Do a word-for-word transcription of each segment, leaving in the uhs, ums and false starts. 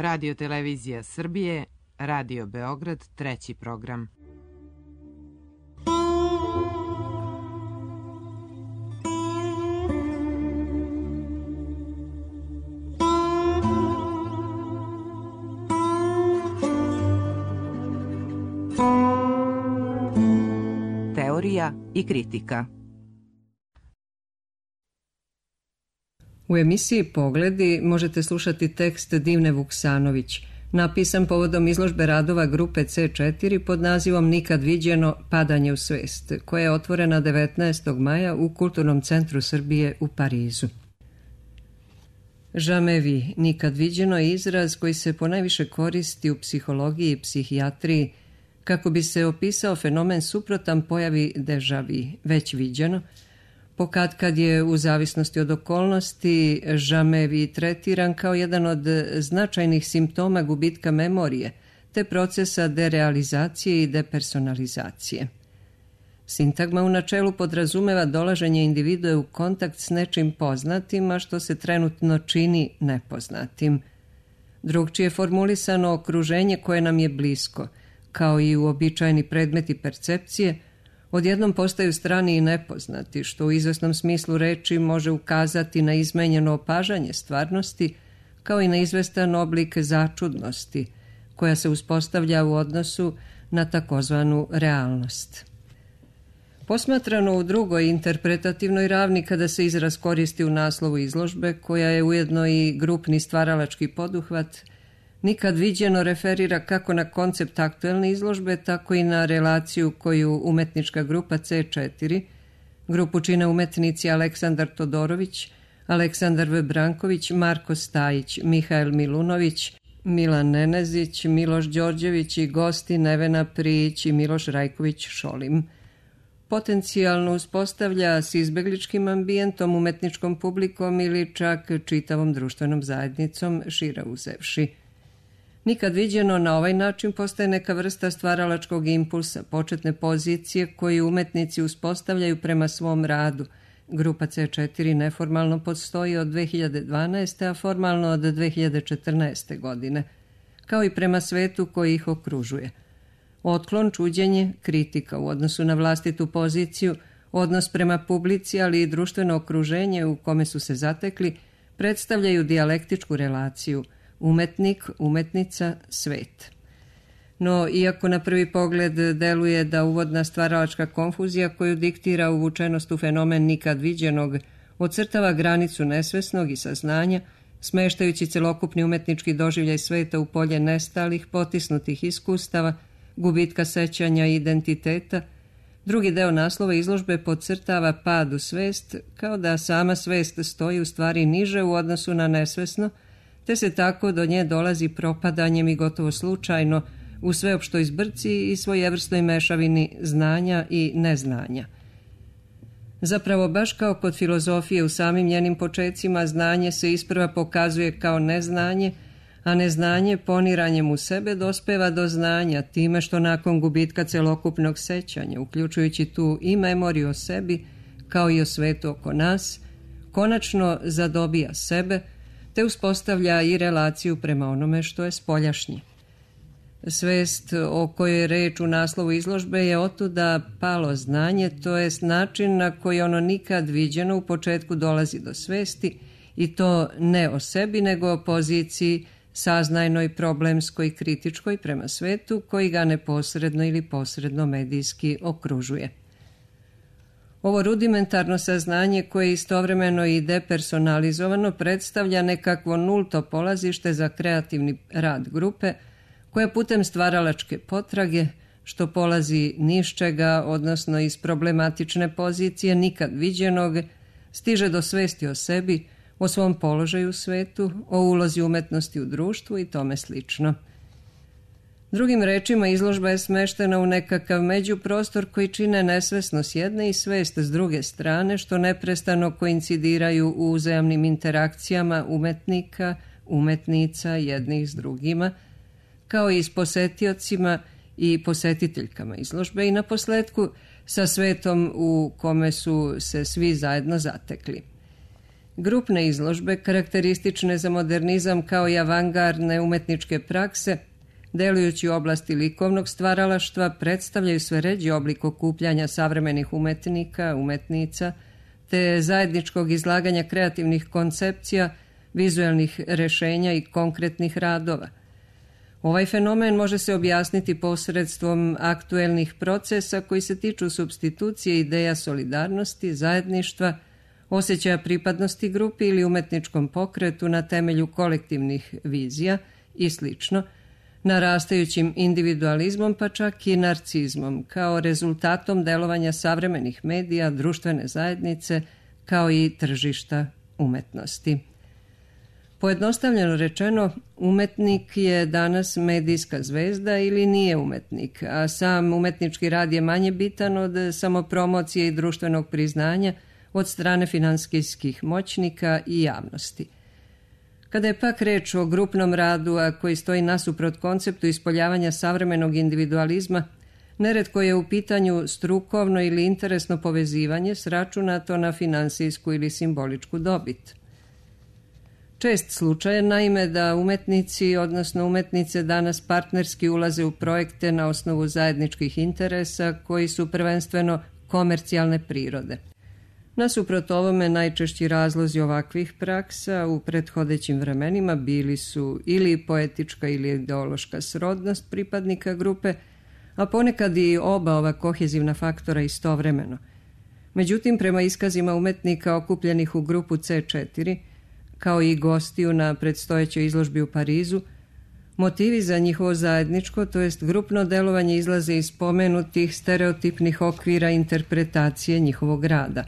Radio Televizija Srbije, Radio Beograd, treći program. Teorija i kritika. U emisiji Pogledi možete slušati tekst Divne Vuksanović, napisan povodom izložbe radova grupe ce četiri pod nazivom Nikad viđeno padanje u svest, koja je otvorena devetnaestog maja u Kulturnom centru Srbije u Parizu. Jamais vu, nikad viđeno je izraz koji se ponajviše koristi u psihologiji i psihijatriji kako bi se opisao fenomen suprotan pojavi déjà vu, već viđeno, pokad kad je u zavisnosti od okolnosti jamais vu tretiran kao jedan od značajnih simptoma gubitka memorije te procesa derealizacije i depersonalizacije. Sintagma u načelu podrazumeva dolaženje individue u kontakt s nečim poznatim, a što se trenutno čini nepoznatim. Drugčije formulisano okruženje koje nam je blisko, kao i uobičajeni predmeti percepcije, odjednom postaju strani i nepoznati, što u izvesnom smislu reči može ukazati na izmenjeno opažanje stvarnosti, kao i na izvestan oblik začudnosti, koja se uspostavlja u odnosu na takozvanu realnost. Posmatrano u drugoj interpretativnoj ravni kada se izraz koristi u naslovu izložbe, koja je ujedno i grupni stvaralački poduhvat, nikad viđeno referira kako na koncept aktuelne izložbe, tako i na relaciju koju umetnička grupa ce četiri, grupu čine umetnici Aleksandar Todorović, Aleksandar V. Branković, Marko Stajić, Mihael Milunović, Milan Nenezić, Miloš Đorđević i gosti Nevena Prijić i Miloš Rajković Šolim. Potencijalno uspostavlja s izbegličkim ambijentom, umetničkom publikom ili čak čitavom društvenom zajednicom, šire uzevši. Nikad viđeno na ovaj način postaje neka vrsta stvaralačkog impulsa, početne pozicije koju umetnici uspostavljaju prema svom radu. Grupa ce četiri neformalno postoji od dve hiljade dvanaeste. a formalno od dve hiljade četrnaeste. godine, kao i prema svetu koji ih okružuje. Otklon, čuđenje, kritika u odnosu na vlastitu poziciju, odnos prema publici, ali i društveno okruženje u kome su se zatekli, predstavljaju dijalektičku relaciju umetnik, umetnica, svet. No, iako na prvi pogled deluje da uvodna stvaralačka konfuzija koju diktira uvučenost u fenomen nikad viđenog ocrtava granicu nesvesnog i saznanja, smeštajući celokupni umetnički doživljaj sveta u polje nestalih, potisnutih iskustava, gubitka sećanja i identiteta, drugi deo naslova izložbe podcrtava pad u svest, kao da sama svest stoji u stvari niže u odnosu na nesvesno, te se tako do nje dolazi propadanjem i gotovo slučajno u sveopštoj zbrci i svojevrsnoj mešavini znanja i neznanja. Zapravo, baš kao kod filozofije u samim njenim počecima, znanje se isprva pokazuje kao neznanje, a neznanje poniranjem u sebe dospeva do znanja time što nakon gubitka celokupnog sećanja, uključujući tu i memoriju o sebi, kao i o svetu oko nas, konačno zadobija sebe, te uspostavlja i relaciju prema onome što je spoljašnje. Svest o kojoj je reč u naslovu izložbe je otuda palo znanje, to jest način na koji ono nikad viđeno u početku dolazi do svesti, i to ne o sebi, nego o poziciji saznajnoj, problemskoj i kritičkoj prema svetu koji ga neposredno ili posredno medijski okružuje. Ovo rudimentarno saznanje koje je istovremeno i depersonalizovano predstavlja nekakvo nulto polazište za kreativni rad grupe koja putem stvaralačke potrage, što polazi ni iz čega, odnosno iz problematične pozicije nikad viđenog, stiže do svesti o sebi, o svom položaju u svetu, o ulozi umetnosti u društvu i tome slično. Drugim rečima, izložba je smeštena u nekakav međuprostor koji čine nesvesno s jedne i svest s druge strane, što neprestano koincidiraju u uzajamnim interakcijama umetnika, umetnica jednih s drugima, kao i s posetiocima i posjetiteljkama izložbe i naposletku sa svetom u kome su se svi zajedno zatekli. Grupne izložbe, karakteristične za modernizam kao i avangardne umetničke prakse, delujući u oblasti likovnog stvaralaštva, predstavljaju sve ređi oblik okupljanja savremenih umetnika, umetnica, te zajedničkog izlaganja kreativnih koncepcija, vizuelnih rešenja i konkretnih radova. Ovaj fenomen može se objasniti posredstvom aktuelnih procesa koji se tiču supstitucije ideja solidarnosti, zajedništva, osjećaja pripadnosti grupi ili umetničkom pokretu na temelju kolektivnih vizija i slično, narastajućim individualizmom pa čak i narcizmom kao rezultatom delovanja savremenih medija, društvene zajednice kao i tržišta umetnosti. Pojednostavljeno rečeno, umetnik je danas medijska zvezda ili nije umetnik, a sam umetnički rad je manje bitan od samopromocije i društvenog priznanja od strane finansijskih moćnika i javnosti. Kada je pak reč o grupnom radu, a koji stoji nasuprot konceptu ispoljavanja savremenog individualizma, neretko je u pitanju strukovno ili interesno povezivanje sračunato na finansijsku ili simboličku dobit. Čest slučaj je naime da umetnici, odnosno umetnice, danas partnerski ulaze u projekte na osnovu zajedničkih interesa koji su prvenstveno komercijalne prirode. Nasuprot ovome, najčešći razlozi ovakvih praksa u prethodećim vremenima bili su ili poetička ili ideološka srodnost pripadnika grupe, a ponekad i oba ova kohezivna faktora istovremeno. Međutim, prema iskazima umetnika okupljenih u grupu C četiri, kao i gostiju na predstojećoj izložbi u Parizu, motivi za njihovo zajedničko, to jest grupno delovanje, izlaze iz spomenutih stereotipnih okvira interpretacije njihovog rada.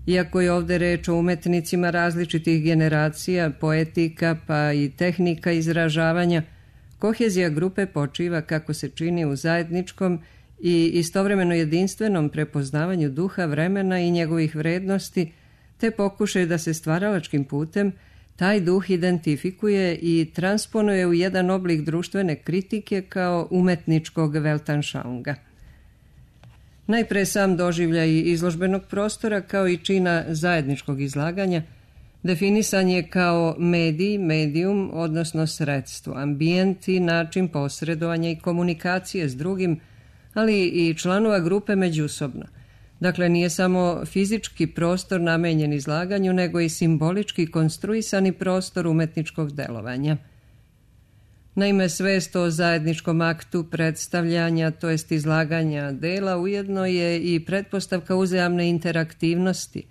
Iako je ovde reč o umetnicima različitih generacija, poetika pa i tehnika izražavanja, kohezija grupe počiva, kako se čini, u zajedničkom i istovremeno jedinstvenom prepoznavanju duha vremena i njegovih vrednosti, te pokušaju da se stvaralačkim putem taj duh identifikuje i transponuje u jedan oblik društvene kritike kao umetničkog Weltanschauunga. Najpre sam doživljaj izložbenog prostora kao i čina zajedničkog izlaganja definisan je kao medij, medijum, odnosno sredstvo, ambijent i način posredovanja i komunikacije s drugim, ali i članova grupe međusobno. Dakle, nije samo fizički prostor namenjen izlaganju, nego i simbolički konstruisani prostor umetničkog delovanja. Naime, svest o zajedničkom aktu predstavljanja, to jest izlaganja dela, ujedno je i pretpostavka uzajamne interaktivnosti.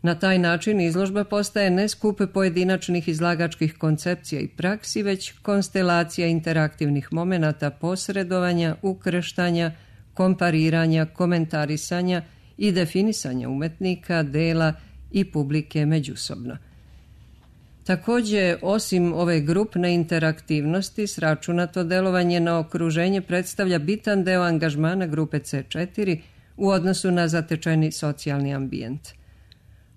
Na taj način izložba postaje ne skup pojedinačnih izlagačkih koncepcija i praksi, već konstelacija interaktivnih momenata posredovanja, ukrštanja, kompariranja, komentarisanja i definisanja umetnika, dela i publike međusobno. Također, osim ove grupne interaktivnosti, sračunato delovanje na okruženje predstavlja bitan deo angažmana grupe C četiri u odnosu na zatečeni socijalni ambijent.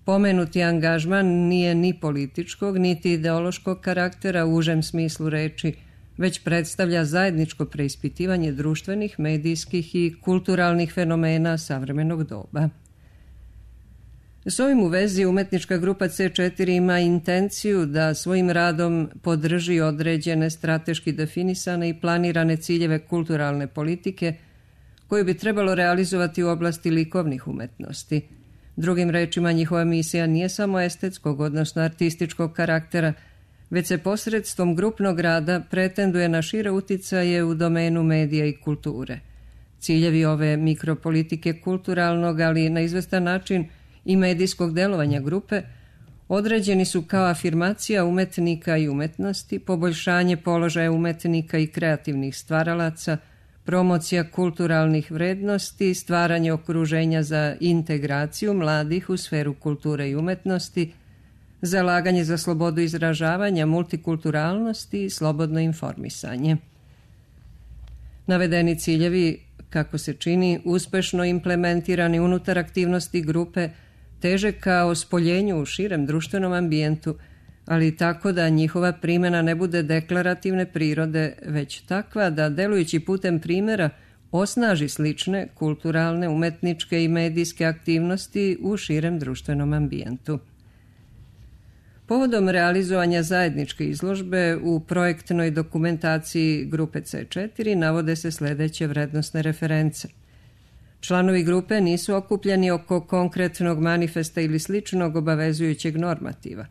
Pomenuti angažman nije ni političkog, niti ideološkog karaktera u užem smislu reči, već predstavlja zajedničko preispitivanje društvenih, medijskih i kulturalnih fenomena savremenog doba. S ovim u vezi umetnička grupa C četiri ima intenciju da svojim radom podrži određene strateški definisane i planirane ciljeve kulturalne politike koju bi trebalo realizovati u oblasti likovnih umetnosti. Drugim rečima, njihova misija nije samo estetskog, odnosno artističkog karaktera, već se posredstvom grupnog rada pretenduje na šire uticaje u domenu medija i kulture. Ciljevi ove mikropolitike kulturalnog, ali na izvestan način i medijskog delovanja grupe, određeni su kao afirmacija umetnika i umetnosti, poboljšanje položaja umetnika i kreativnih stvaralaca, promocija kulturalnih vrednosti, stvaranje okruženja za integraciju mladih u sferu kulture i umetnosti, zalaganje za slobodu izražavanja, multikulturalnosti i slobodno informisanje. Navedeni ciljevi, kako se čini, uspešno implementirani unutar aktivnosti grupe, teže kao spoljenju u širem društvenom ambijentu, ali tako da njihova primjena ne bude deklarativne prirode, već takva da, delujući putem primjera, osnaži slične kulturalne, umetničke i medijske aktivnosti u širem društvenom ambijentu. Povodom realizovanja zajedničke izložbe u projektnoj dokumentaciji grupe C četiri navode se sljedeće vrednosne reference. Članovi grupe nisu okupljeni oko konkretnog manifesta ili sličnog obavezujućeg normativa.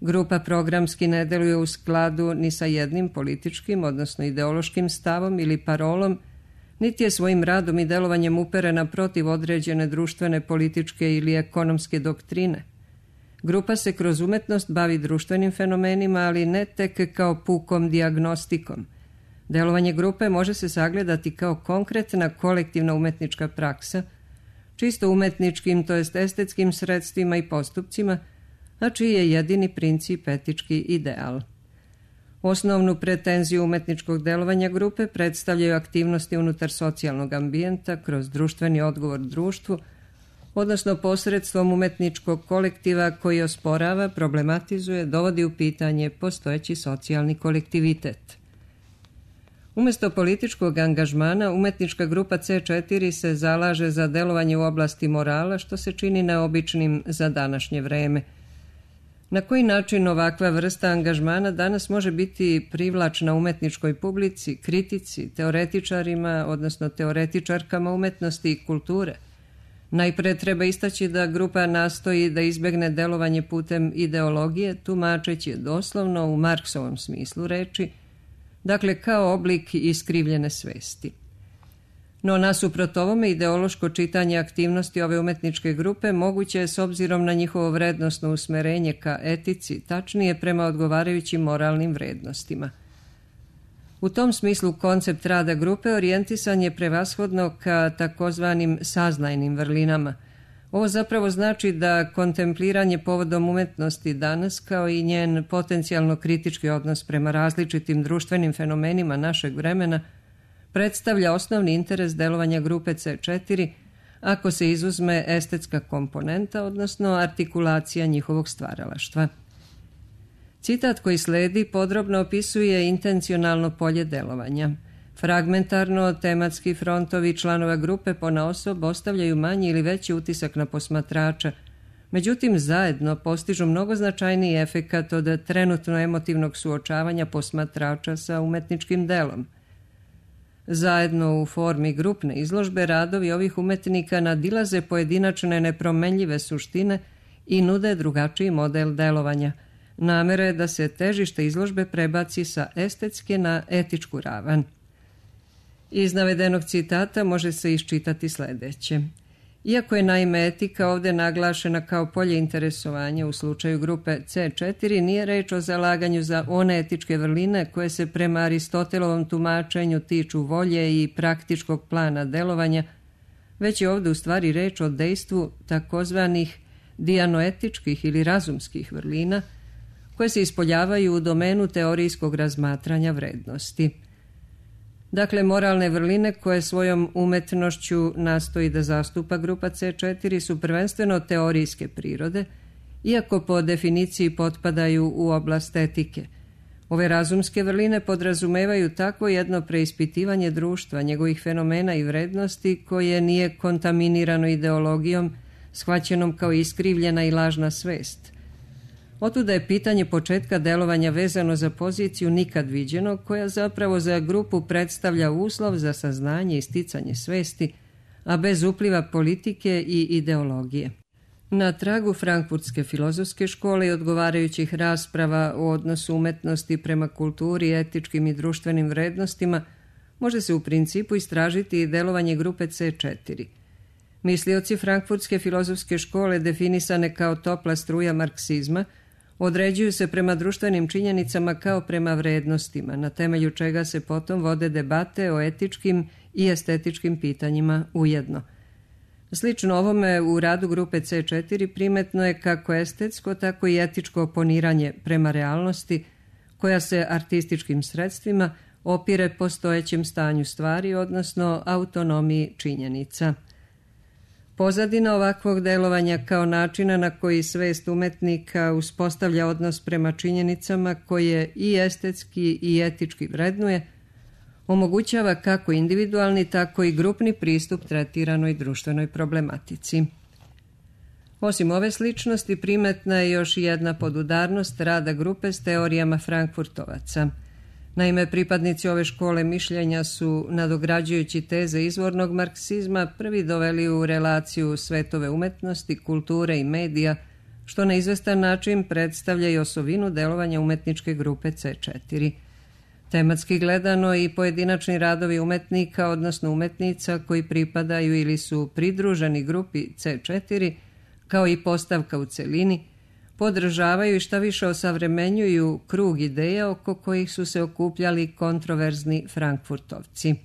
Grupa programski ne deluje u skladu ni sa jednim političkim, odnosno ideološkim stavom ili parolom, niti je svojim radom i delovanjem uperena protiv određene društvene, političke ili ekonomske doktrine. Grupa se kroz umetnost bavi društvenim fenomenima, ali ne tek kao pukom dijagnostikom. Delovanje grupe može se sagledati kao konkretna kolektivna umetnička praksa, čisto umetničkim, to jest estetskim sredstvima i postupcima, a čiji je jedini princip etički ideal. Osnovnu pretenziju umetničkog delovanja grupe predstavljaju aktivnosti unutar socijalnog ambijenta kroz društveni odgovor društvu, odnosno posredstvom umetničkog kolektiva koji osporava, problematizuje, dovodi u pitanje postojeći socijalni kolektivitet. Umjesto političkog angažmana, umetnička grupa C četiri se zalaže za delovanje u oblasti morala, što se čini neobičnim za današnje vreme. Na koji način ovakva vrsta angažmana danas može biti privlačna umetničkoj publici, kritici, teoretičarima, odnosno teoretičarkama umetnosti i kulture? Najpre treba istaći da grupa nastoji da izbegne delovanje putem ideologije, tumačeći je doslovno u Marksovom smislu reči, dakle kao oblik iskrivljene svesti. No nasuprot ovome ideološko čitanje aktivnosti ove umetničke grupe moguće je s obzirom na njihovo vrednosno usmerenje ka etici, tačnije prema odgovarajućim moralnim vrednostima. U tom smislu koncept rada grupe orijentisan je prevashodno ka takozvanim saznajnim vrlinama. Ovo zapravo znači da kontempliranje povodom umetnosti danas, kao i njen potencijalno kritički odnos prema različitim društvenim fenomenima našeg vremena, predstavlja osnovni interes delovanja grupe C četiri, ako se izuzme estetska komponenta, odnosno artikulacija njihovog stvaralaštva. Citat koji sledi podrobno opisuje intencionalno polje delovanja. Fragmentarno, tematski frontovi članova grupe ponaosob ostavljaju manji ili veći utisak na posmatrača, međutim zajedno postižu mnogo značajniji efekat od trenutno emotivnog suočavanja posmatrača sa umetničkim delom. Zajedno u formi grupne izložbe radovi ovih umetnika nadilaze pojedinačne nepromenljive suštine i nude drugačiji model delovanja. Namera je da se težište izložbe prebaci sa estetske na etičku ravan. Iz navedenog citata može se iščitati sljedeće. Iako je naime etika ovdje naglašena kao polje interesovanja u slučaju grupe C četiri, nije reč o zalaganju za one etičke vrline koje se prema Aristotelovom tumačenju tiču volje i praktičkog plana delovanja, već je ovdje u stvari reč o dejstvu takozvanih dijanoetičkih ili razumskih vrlina, koje se ispoljavaju u domenu teorijskog razmatranja vrednosti. Dakle, moralne vrline koje svojom umetnošću nastoji da zastupa grupa C četiri su prvenstveno teorijske prirode, iako po definiciji potpadaju u oblast etike. Ove razumske vrline podrazumevaju takvo jedno preispitivanje društva, njegovih fenomena i vrednosti koje nije kontaminirano ideologijom, shvaćenom kao iskrivljena i lažna svest. Otuda je pitanje početka delovanja vezano za poziciju nikad viđeno, koja zapravo za grupu predstavlja uslov za saznanje i sticanje svesti, a bez upliva politike i ideologije. Na tragu frankfurtske filozofske škole i odgovarajućih rasprava o odnosu umetnosti prema kulturi, etičkim i društvenim vrednostima, može se u principu istražiti i delovanje grupe C četiri. Mislioci frankfurtske filozofske škole, definisane kao topla struja marksizma, određuju se prema društvenim činjenicama kao prema vrednostima, na temelju čega se potom vode debate o etičkim i estetičkim pitanjima ujedno. Slično ovome u radu grupe C četiri primetno je kako estetsko, tako i etičko oponiranje prema realnosti, koja se artističkim sredstvima opire postojećem stanju stvari, odnosno autonomiji činjenica. Pozadina ovakvog delovanja kao načina na koji svest umetnika uspostavlja odnos prema činjenicama koje i estetski i etički vrednuje, omogućava kako individualni, tako i grupni pristup tretiranoj društvenoj problematici. Osim ove sličnosti, primetna je još jedna podudarnost rada grupe s teorijama Frankfurtovaca. Naime, pripadnici ove škole mišljenja su, nadograđujući teze izvornog marksizma, prvi doveli u relaciju svetove umetnosti, kulture i medija, što na izvestan način predstavlja i osovinu delovanja umetničke grupe C četiri. Tematski gledano i pojedinačni radovi umetnika, odnosno umetnica koji pripadaju ili su pridruženi grupi C četiri, kao i postavka u celini, podržavaju i šta više osavremenjuju krug ideja oko kojih su se okupljali kontroverzni Frankfurtovci.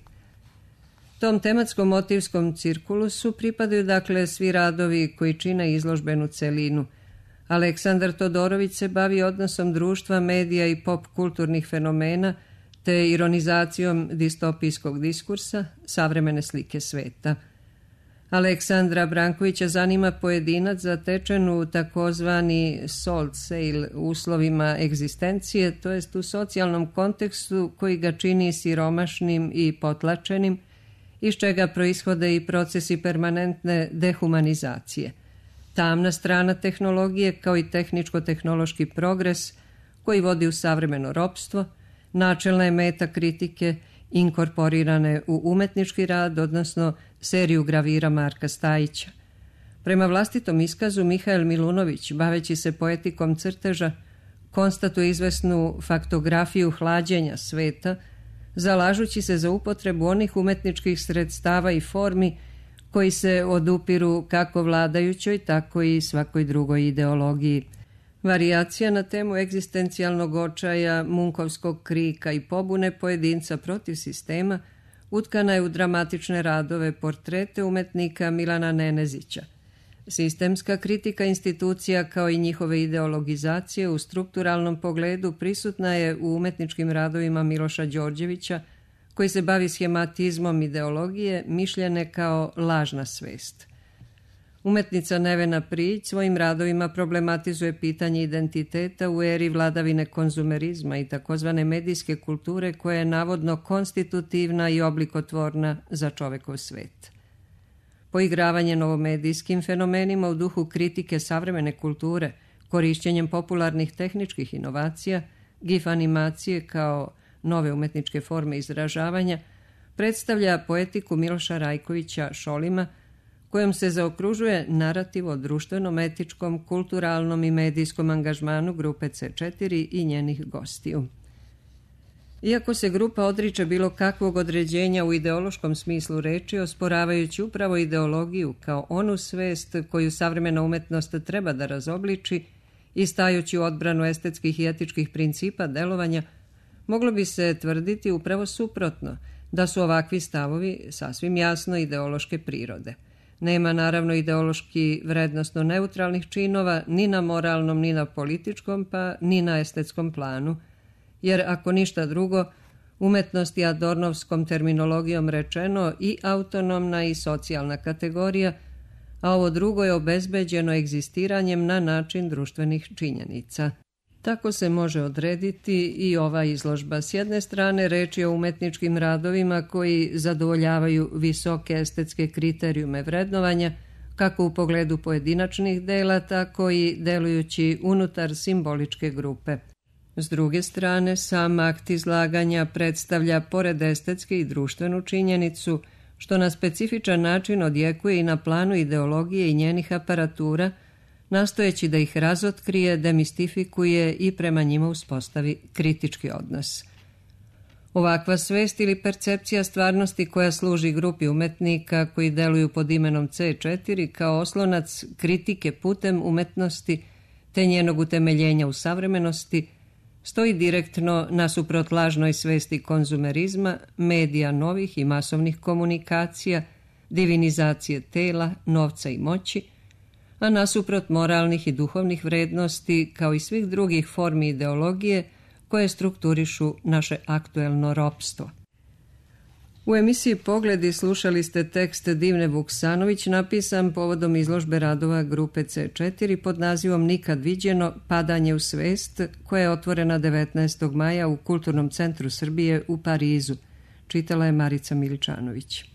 Tom tematskom motivskom cirkulusu pripadaju dakle svi radovi koji čine izložbenu celinu. Aleksandar Todorović se bavi odnosom društva, medija i pop kulturnih fenomena, te ironizacijom distopijskog diskursa, savremene slike sveta. Aleksandra Brankovića zanima pojedinac zatečen u takozvani soul sale uslovima egzistencije, to jest u socijalnom kontekstu koji ga čini siromašnim i potlačenim, iz čega proishode i procesi permanentne dehumanizacije. Tamna strana tehnologije kao i tehničko-tehnološki progres koji vodi u savremeno ropstvo, načelna je meta kritike inkorporirane u umetnički rad, odnosno seriju gravira Marka Stajića. Prema vlastitom iskazu, Mihael Milunović, baveći se poetikom crteža, konstatuje izvesnu faktografiju hlađenja sveta, zalažući se za upotrebu onih umetničkih sredstava i formi koji se odupiru kako vladajućoj, tako i svakoj drugoj ideologiji. Varijacija na temu egzistencijalnog očaja, munkovskog krika i pobune pojedinca protiv sistema utkana je u dramatične radove portrete umetnika Milana Nenezića. Sistemska kritika institucija kao i njihove ideologizacije u strukturalnom pogledu prisutna je u umetničkim radovima Miloša Đorđevića, koji se bavi schematizmom ideologije mišljene kao lažna svest. Umetnica Nevena Prijić svojim radovima problematizuje pitanje identiteta u eri vladavine konzumerizma i takozvane medijske kulture koja je navodno konstitutivna i oblikotvorna za čovekov svet. Poigravanje novomedijskim fenomenima u duhu kritike savremene kulture, korišćenjem popularnih tehničkih inovacija, gif animacije kao nove umetničke forme izražavanja, predstavlja poetiku Miloša Rajkovića Šolima, kojom se zaokružuje narativ o društvenom, etičkom, kulturalnom i medijskom angažmanu grupe C četiri i njenih gostiju. Iako se grupa odriče bilo kakvog određenja u ideološkom smislu reči, osporavajući upravo ideologiju kao onu svest koju savremena umetnost treba da razobliči i stajući u odbranu estetskih i etičkih principa delovanja, moglo bi se tvrditi upravo suprotno, da su ovakvi stavovi sasvim jasno ideološke prirode. Nema naravno ideološki vrednostno neutralnih činova ni na moralnom, ni na političkom, pa ni na estetskom planu, jer ako ništa drugo, umetnost je Adornovskom terminologijom rečeno i autonomna i socijalna kategorija, a ovo drugo je obezbeđeno egzistiranjem na način društvenih činjenica. Tako se može odrediti i ova izložba. S jedne strane reč je o umetničkim radovima koji zadovoljavaju visoke estetske kriterijume vrednovanja, kako u pogledu pojedinačnih dela, tako i delujući unutar simboličke grupe. S druge strane, sam akt izlaganja predstavlja pored estetske i društvenu činjenicu, što na specifičan način odjekuje i na planu ideologije i njenih aparatura, nastojeći da ih razotkrije, demistifikuje i prema njima uspostavi kritički odnos. Ovakva svest ili percepcija stvarnosti koja služi grupi umetnika koji deluju pod imenom C četiri kao oslonac kritike putem umetnosti te njenog utemeljenja u savremenosti, stoji direktno nasuprot lažnoj svesti konzumerizma, medija novih i masovnih komunikacija, divinizacije tela, novca i moći, a nasuprot moralnih i duhovnih vrednosti kao i svih drugih formi ideologije koje strukturišu naše aktuelno ropstvo. U emisiji Pogledi slušali ste tekst Divne Vuksanović napisan povodom izložbe radova grupe C četiri pod nazivom Nikad viđeno padanje u svest, koja je otvorena devetnaestog maja u Kulturnom centru Srbije u Parizu. Čitala je Marica Miličanović.